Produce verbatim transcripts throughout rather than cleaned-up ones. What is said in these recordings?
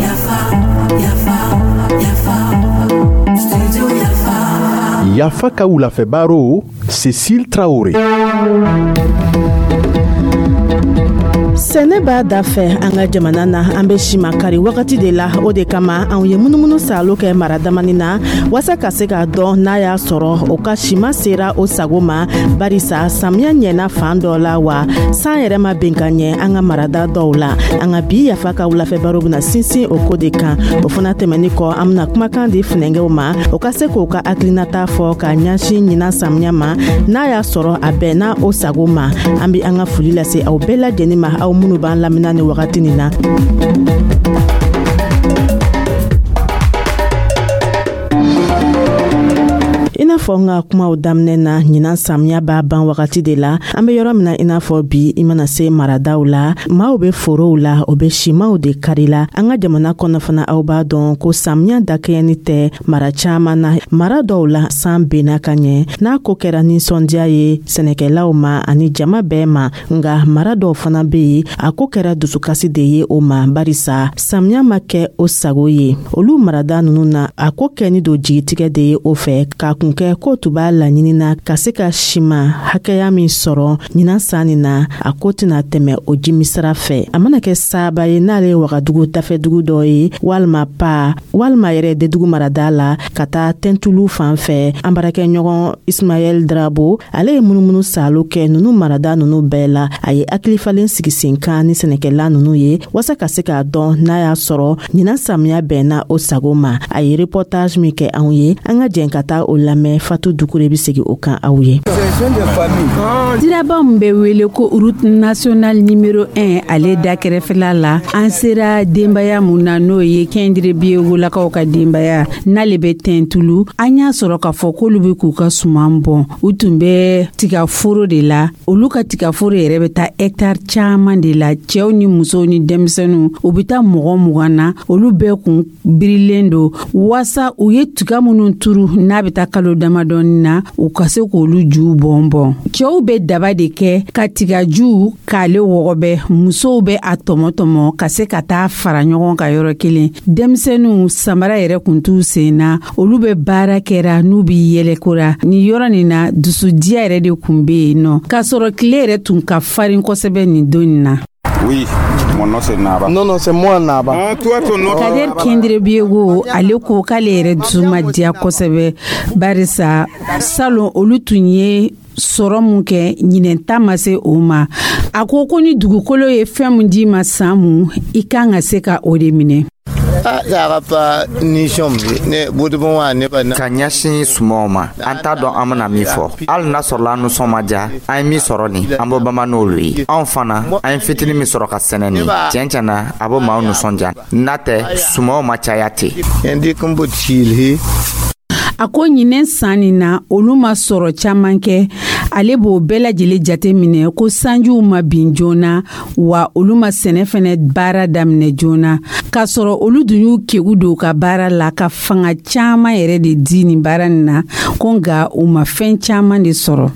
Yafa, Yafa, Yafa, Studio Yafa. Yafa ka wulafɛ baro, Cécile Traoré. Sɛnɛ b'a da fɛ an ka jamana na. An bɛ simakari wagati de la. O de kama anw ye munumunu salo kɛ mara damani na waasa ka se k'a dɔn n'a y'a sɔrɔ o ka sima sera o sago ma, barisa samiya ɲɛna fan dɔ la, wa san yɛrɛ ma ben ka ɲɛ an ka marada dɔw la. An ka bi Yafa ka wulafɛ baro bena sinsin o ko de kan. O fana tɛmɛni kɔ, an bena kumakan di funɛngɛw ma, o ka se k'o ka hakilinata fɔ ka ɲɛsin ɲinan samiya ma, n'a y'a sɔrɔ a bɛnna o sago ma. An be an ka foli lase aw bɛɛ lajɛnin ma, aw minnu b'an lamina ni wagati nin na. I n'a fɔ n ka kumaw daminɛ na, ɲinan samiya b'a ban wagati de la. An be yɔrɔ min na i n'a fɔ bi, i mana se maradaw la, maaw be forow la, o be simaw de kari la. An ka jamana kɔnɔ fana, aw b'a dɔn ko samiya dakɛɲɛni tɛ mara caaman na. Mara dɔw la, san benna ka ɲɛ, n'a ko kɛra ninsɔndiya ye sɛnɛkɛlaw ma ani jama bɛɛ ma. Nga mara dɔw fana be yen, a ko kɛra dusukasi de ye o ma, barisa samiya ma kɛ o sago ye olu marada nunu na. A ko kɛni don jigitigɛ de ye o fɛ, k'a kun kɛ k'o tun b'a laɲinina ka se ka sima hakɛya min sɔrɔ ɲinan san nin na, a ko tɛna tɛmɛ o jimisira fɛ. A mana kɛ saaba ye, n'ale ye Wagadugu dafɛdugu dɔ ye, walima Pa, walima yɛrɛ Dedugu marada la ka taa Tɛntulu fan fɛ. An baarakɛɲɔgɔn Ismaɛl Drabo, ale ye munumunu salo kɛ nunu marada nunu bɛɛ la. A ye hakilifalen sigi sen kan ni sɛnɛkɛla nunu ye waasa ka se k'a dɔn n'a y'a sɔrɔ ɲinan samiya bɛnna o sago ma. A ye reportage min kɛ anw ye, an ka jɛn ka taa o lamɛn. Fatu Dukure bɛ segin o kan aw ye. Siraba min bɛ wele ko route nationale numéro un, ale da kɛrɛfɛla la, an sera denbaya mun na, n'o ye Kɛndire Biyegolakaw ka denbaya, n'ale bɛ Tɛntulu. An y'a sɔrɔ k'a fɔ k'olu bɛ k'u ka suman bɔn. U tun bɛ tigaforo de la. Olu ka tigaforo yɛrɛ bɛ taa hɛkitari caman de la. Cɛw ni musow ni denmisɛnninw, u bɛ taa mɔgɔ mugan na. Olu bɛɛ kun birilen don waasa u ye tiga minnu turu, n'a bɛ taa kalo damadɔni na, u ka se k'olu juw bɔn bɔn. Cɛw bɛ daba de kɛ ka tigaju k'ale wɔgɔbɛ, musow bɛ a tɔmɔ tɔmɔ ka se ka taa fara ɲɔgɔn kan yɔrɔ kelen. Denmisɛnninw, samara yɛrɛ kun t'u sen na, olu bɛ baara kɛra n'u bɛ yɛlɛkora nin yɔrɔ nin na. Dusudiya yɛrɛ de kun bɛ yen nɔ, k'a sɔrɔ tile yɛrɛ tun ka farin kosɛbɛ nin don nin na. Oui, mon nom c'est Naba. Non, non, c'est moi Naba. Ah, toi, ton nom. Kader Kendire Biego, ale ko k'ale yɛrɛ dusu ma diya kosɛbɛ, barisa salon olu tun ye sɔrɔ mun kɛ, ɲinɛn ta ma se o ma. A ko ko ni dugukolo ye fɛn mun d'i ma san mun, i kan ka se ka o de minɛ. Ka ɲɛsin sumanw ma, an t'a dɔn an bena min fɔ. Hali n'a sɔrɔla an nusɔn ma diya, an ye min sɔrɔ nin, an b'o bama n'olu ye. Anw fana, an ye fitini min sɔrɔ ka sɛnɛ nin, tiɲɛ tiɲɛ na, a b'o maaw nusɔndiya. N'a tɛ, sumanw ma caya ten. A ko ɲinɛ san nin na, olu ma sɔrɔ caman kɛ. Ale b'o bɛɛ lajɛlen jate minɛ ko sanjiw ma bin joona, wa olu ma sɛnɛ fɛnɛ baara daminɛ joona, k'a sɔrɔ olu dun y'u kegu don ka baara la, ka fanga caman yɛrɛ de di nin baara nin na, ko nka u ma fɛn caman de sɔrɔ.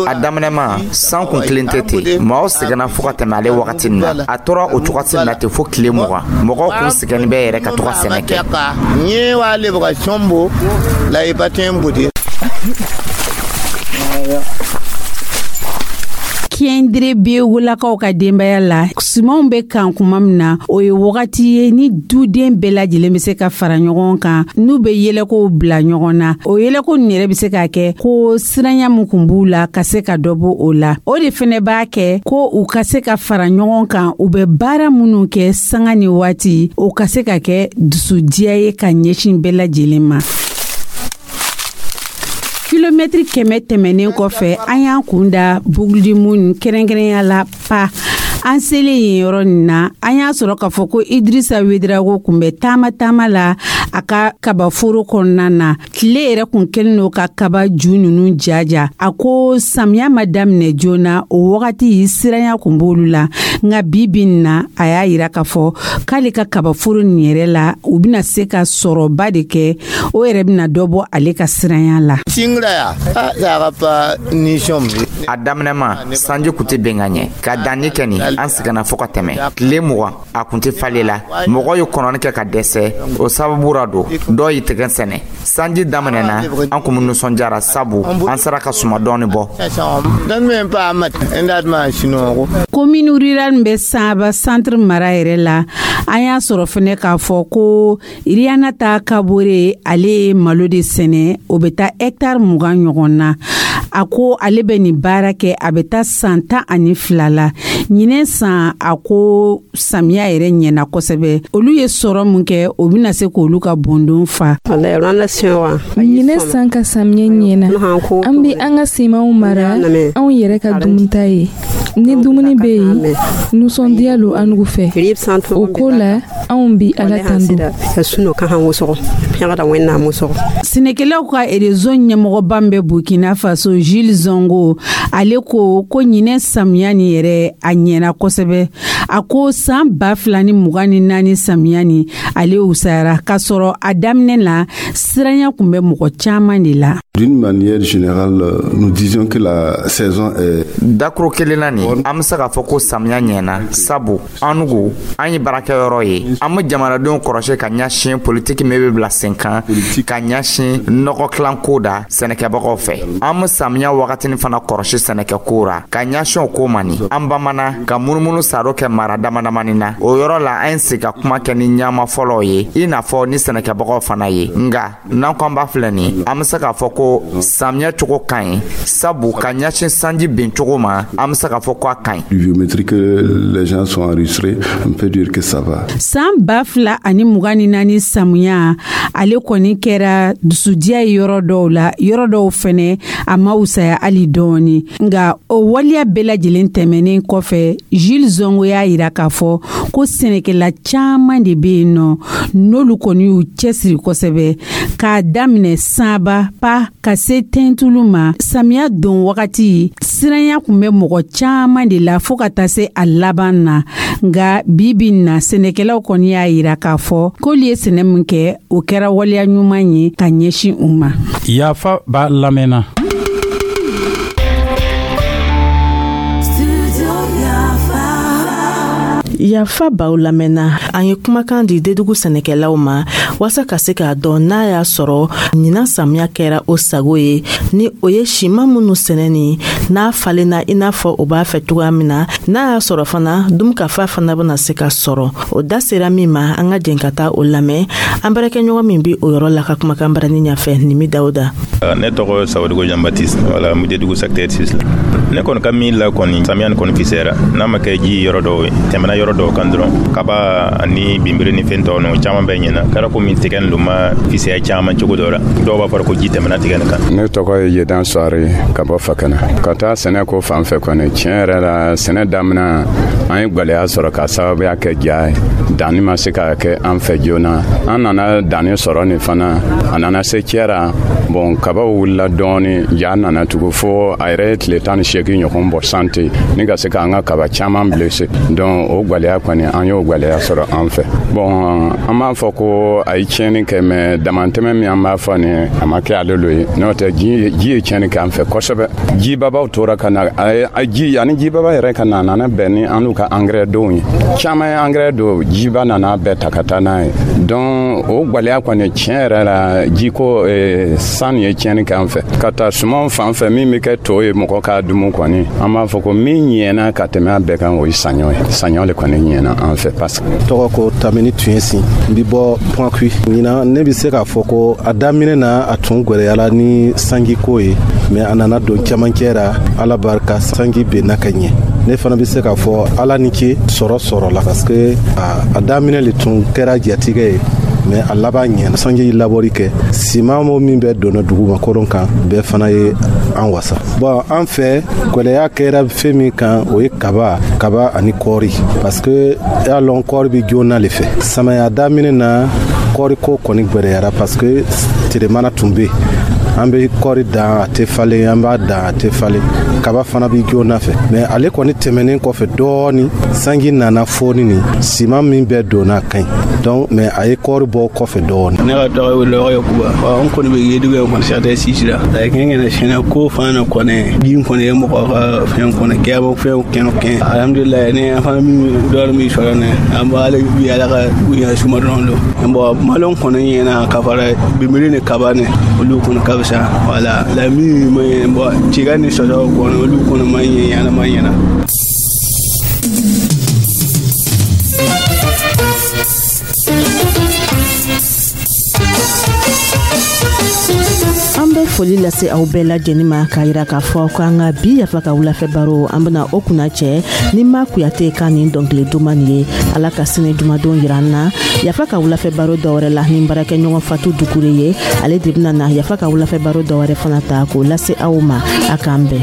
A daminɛma, san kun kelen tɛ ten. Maaw sɛgɛnna fo ka tɛmɛ ale wagati nin na. A tora o cogosi na ten fo tile mugan. Mɔgɔw kun sɛgɛnni bɛ yɛrɛ ka to ka sɛnɛ kɛ. Kɛndire Biyegolakaw ka denbaya la, sumanw bɛ kan kuma min na, o ye wagati ye ni duden bɛɛ lajɛlen bɛ se ka fara ɲɔgɔn kan, n'u bɛ yɛlɛkow bila ɲɔgɔn na. O yɛlɛko nin yɛrɛ bɛ se ka kɛ ko siranya min kun b'u la, ka se ka dɔ bɔ o la. O de fɛnɛ b'a kɛ ko u ka se ka fara ɲɔgɔn kan, u bɛ baara minnu kɛ sanga ni waati, o ka se ka kɛ dusudiya ye ka ɲɛsin bɛɛ lajɛlen ma. Kilomɛtiri kɛmɛ tɛmɛnen kɔfɛ, an y'an kun da Bugudimun, kɛrɛnkɛrɛnya la Pa. An selen yen yɔrɔ nin na, an y'a sɔrɔ k'a fɔ ko Idirisa Wedirago kun bɛ taama taama la a ka kabaforo kɔnɔna na. Tile yɛrɛ kun kɛlen don ka kaba ju ninnu jaja. A ko samiya ma daminɛ joona, o wagati siranya kun b'olu la, nka bi bi nin na, a y'a yira k'a fɔ k'ale ka kabaforo nin yɛrɛ la, u bɛna se ka sɔrɔba de kɛ, o yɛrɛ bɛna dɔ bɔ ale ka siranya la. A daminɛma, sanji kun tɛ ben ka ɲɛ. Ka danni kɛ nin, an sɛgɛnna fɔɔ ka tɛmɛ. Tile mugan a kun tɛ falen la. Mɔgɔ ye kɔnɔni kɛ ka dɛsɛ, o sababu ra don dɔw y'i tigɛ sɛnɛ. Sanji daminɛna, an kun nisɔndiyara, sabu an sera ka suma dɔɔni bɔ. Commune rurale bɛ Saba Centre mara yɛrɛ la, an y'a sɔrɔ fɛnɛ k'a fɔ ko Riana ta Kabore, ale ye malo de sɛnɛ, o bɛ taa hɛtari mugan ɲɔgɔn na. A ko ale bɛ nin baara kɛ, a bɛ taa san tan ani fila la. Ɲinɛ san, a ko samiya yɛrɛ ɲɛna kosɛbɛ. Olu ye sɔrɔ min kɛ, o bɛna se k'olu ka bondon fa. Ɲinɛ san ka samiya ɲɛna. An bɛ an ka simanw mara anw yɛrɛ ka dunta ye. Ni dumuni bɛ yen, nisɔndiya lo an fɛ. O ko la, anw bi Ala tando. Sɛnɛkɛlaw ka réseau ɲɛmɔgɔba bɛ Burkina Faso, Jules Zongo, ale ko ko ɲinɛ samiya nin yɛrɛ, a ɲɛna kosɛbɛ. A ko san ba fila ni mugan ni naani samiya nin, ale wusayara, k'a sɔrɔ a daminɛ la, siranya kun bɛ mɔgɔ caman de la. D'une manière générale, nous disions que la saison est Dakuru kelen na nin, an be se k'a fɔ ko samiya ɲɛna, sabu an nugu an ye baarakɛyɔrɔ ye. An be jamanadenw kɔrɔsi ka ɲɛsin politiki min be bila sen kan ka ɲɛsin nɔgɔ kilanko da sɛnɛkɛbagaw fɛ. An be samiya wagatini fana kɔrɔsi sɛnɛkɛko ra ka ɲɛsin o ko ma. Nin an bamana ka munumunu saro kɛ mara damadamani na, o yɔrɔ la an ye sigi ka kuma kɛ ni ɲama fɔlɔw ye, i n'a fɔ ni sɛnɛkɛbagaw fana ye. Nga n'an ko an b'a filɛ nin, an be se k'a fɔ ko samiya cogo ka ɲi, sabu ka ɲɛsin sanji bin cogo ma, an be se k'a fɔ ko a ka ɲi. Pluviométrique que les gens sont enregistrés, on peut dire que ça va. San ba fila ani mugan ni naani samiya, ale kɔni kɛra dusudiya ye yɔrɔ dɔw la, yɔrɔ dɔw fɛnɛ a ma wusaya hali dɔɔni. Nga o waleya bɛɛ lajɛlen tɛmɛnen kɔfɛ, Jules Zongo y'a yira k'a fɔ ko sɛnɛkɛla caaman de be yen nɔ, n'olu kɔni y'u cɛsiri kosɛbɛ, k'a daminɛ Sanba pa ka se Tɛntulu ma. Samiya don wagati, siranya kun bɛ mɔgɔ caaman de la fɔɔ ka taa se a laban na. Nga bi bi na, sɛnɛkɛlaw kɔni y'a yira k'a fɔ k'olu ye sɛnɛ min kɛ, o kɛra waleya ɲuman ye ka ɲɛsin u ma. Yafa b'a lamɛnna. Studio Yafa. Yafa baw lamɛnna. An ye kumakan di Dedugu sɛnɛkɛlaw ma waasa ka se k'a dɔn n'a y'a sɔrɔ ɲinan samiya kɛra o sago ye, ni o ye siman minnu sɛnɛ ni n'a falenna i n'a fɔ o b'a fɛ cogoya min na, n'a y'a sɔrɔ fana dunkafa fana bena se ka sɔrɔ. O da sera min ma, an ka jɛn ka taa o lamɛn, an baarakɛɲɔgɔn min bi o yɔrɔ la ka kumakan barani ɲafɛ, Nimi Dawuda. Ne tɔgɔ Sawadogo Jean Baptiste, wala n bɛ Dedugu secteur six la. Ne kɔni ka min la kɔni, samiya nin kɔni fisayara, n'a ma kɛ ji yɔrɔ dɔw ye, tɛmɛna yɔrɔ dɔw kan dɔrɔn. Kaba ani binbiri ni fɛn tɔw ninnu caman bɛɛ ɲɛna. Kɛra komi tigɛ nin ma fisaya caman cogo dɔ la, dɔw b'a fɔ ko ji tɛmɛna tigɛ nin kan. Ne tɔgɔ ye Yedan Suware ka bɔ Fakana. Ka taa sɛnɛ ko fan fɛ kɔni, tiɲɛ yɛrɛ la, sɛnɛ daminɛ, an ye gwɛlɛya sɔrɔ ka sababuya kɛ ja ye. Danni ma se ka kɛ an fɛ joona. An nana danni sɔrɔ nin fana, a nana se cɛra bɔn, kabaw wulila dɔɔni, ja nana tugu fo a yɛrɛ ye tile tan ni seegin ɲɔgɔn bɔ sante ni ka se k'an ka kaba caman blesse. Donc o gwɛlɛya kɔni, an y'o gwɛlɛya sɔrɔ an fɛ. Bɔn, an b'a fɔ ko a ye tiɲɛni kɛ, mɛ damantɛmɛ min an b'a fɔ nin, a ma kɛ ale lo ye. N'o tɛ, ji ye tiɲɛni kɛ an fɛ kosɛbɛ. Jibabaw tora ka na, a ji ani jibaba yɛrɛ ka na, a nana bɛn ni an n'u ka angɛrɛ donw ye. Caman ye angɛrɛ don, jiba nana bɛɛ ta ka taa n'a ye. Donc o gwɛlɛya kɔni, tiɲɛ yɛrɛ la, jiko san ye tiɲɛni kɛ an fɛ. Ka taa sumanw fan fɛ, min bɛ kɛ to ye mɔgɔ k'a dumu kɔni, an b'a fɔ ko min ɲɛna ka tɛmɛ a bɛɛ kan, o ye saɲɔ ye. Saɲɔ le kɔni ɲɛna an fɛ parce que Tɔgɔ ko Tamini Tuɲɛsin, n bi bɔ Pɔnkui. Ɲinan, ne bi se k'a fɔ ko a daminɛ na, a tun gwɛlɛyala ni sanjiko ye, mɛ a nana don camancɛ ra, Ala barika, sanji benna ka ɲɛ. Ne fana be se k'a fɔ Ala ni ce, sɔrɔ sɔrɔla, parce que a daminɛ le tun kɛra jatigɛ ye, mɛ a laban ɲɛna. Sanji labɔri kɛ, siman mo min bɛ donna duguma koron kan, bɛɛ fana ye an wasa. Bɔn, an fɛ, gwɛlɛya kɛra fɛn min kan, o ye kaba kaba ani kɔɔri, parce que y'a lɔn kɔɔri bi joona le fɛ. Samaya daminɛ na, kɔɔri ko kɔni gwɛlɛyara, parce que teremana tun be, an bɛ kɔɔri dan, a tɛ falen, an b'a dan, a tɛ falen. Kaba fana bi joona fɛ, mɛ ale kɔni tɛmɛnen kɔfɛ dɔɔni, sanji nana fɔni, ni siman min bɛɛ donna ka ɲi. Donc, mais a ye kɔɔri bɔ kɔfɛ dɔɔni. Ne ka tɔgɔ ye Lɔgɔ Yakuba. An kɔni bɛ Yedugu yan kɔni, secteur six la. A kɛn kɛnɛ sɛnɛ ko fana kɔni, bin kɔni ye mɔgɔ ka fɛn kɔni kɛ fɛn kɛnɛ kɛn. Alhamdulilayi, ne an fana min dɔɔni min sɔrɔ ne an b'ale bi Ala ka ɲɛ suma dɔrɔn don. Bon, malo kɔni ɲɛna ka fara binbiri ni kaba ni olu kɔni ka fisa. Wala la min ma ɲɛ, bon, tiga ni sɔsɔ kɔni, olu kɔni ma ɲɛ ɲɛna ma ɲɛna. An bɛ foli lase aw bɛɛ lajɛlen ma k'a yira k'a fɔ ko an ka bi Yafa ka wulafɛ baro, an bena o kunna cɛ ni Ma Kuyate ka nin dɔnkili duman nin ye. Ala ka sini jumadon yira an na Yafa ka wulafɛ baro dɔwɛrɛ la ni baarakɛɲɔgɔn Fatu Dukure ye. Ale de bena na Yafa ka wulafɛ baro dɔwɛrɛ fana ta k'o lase aw ma. A k'an bɛn.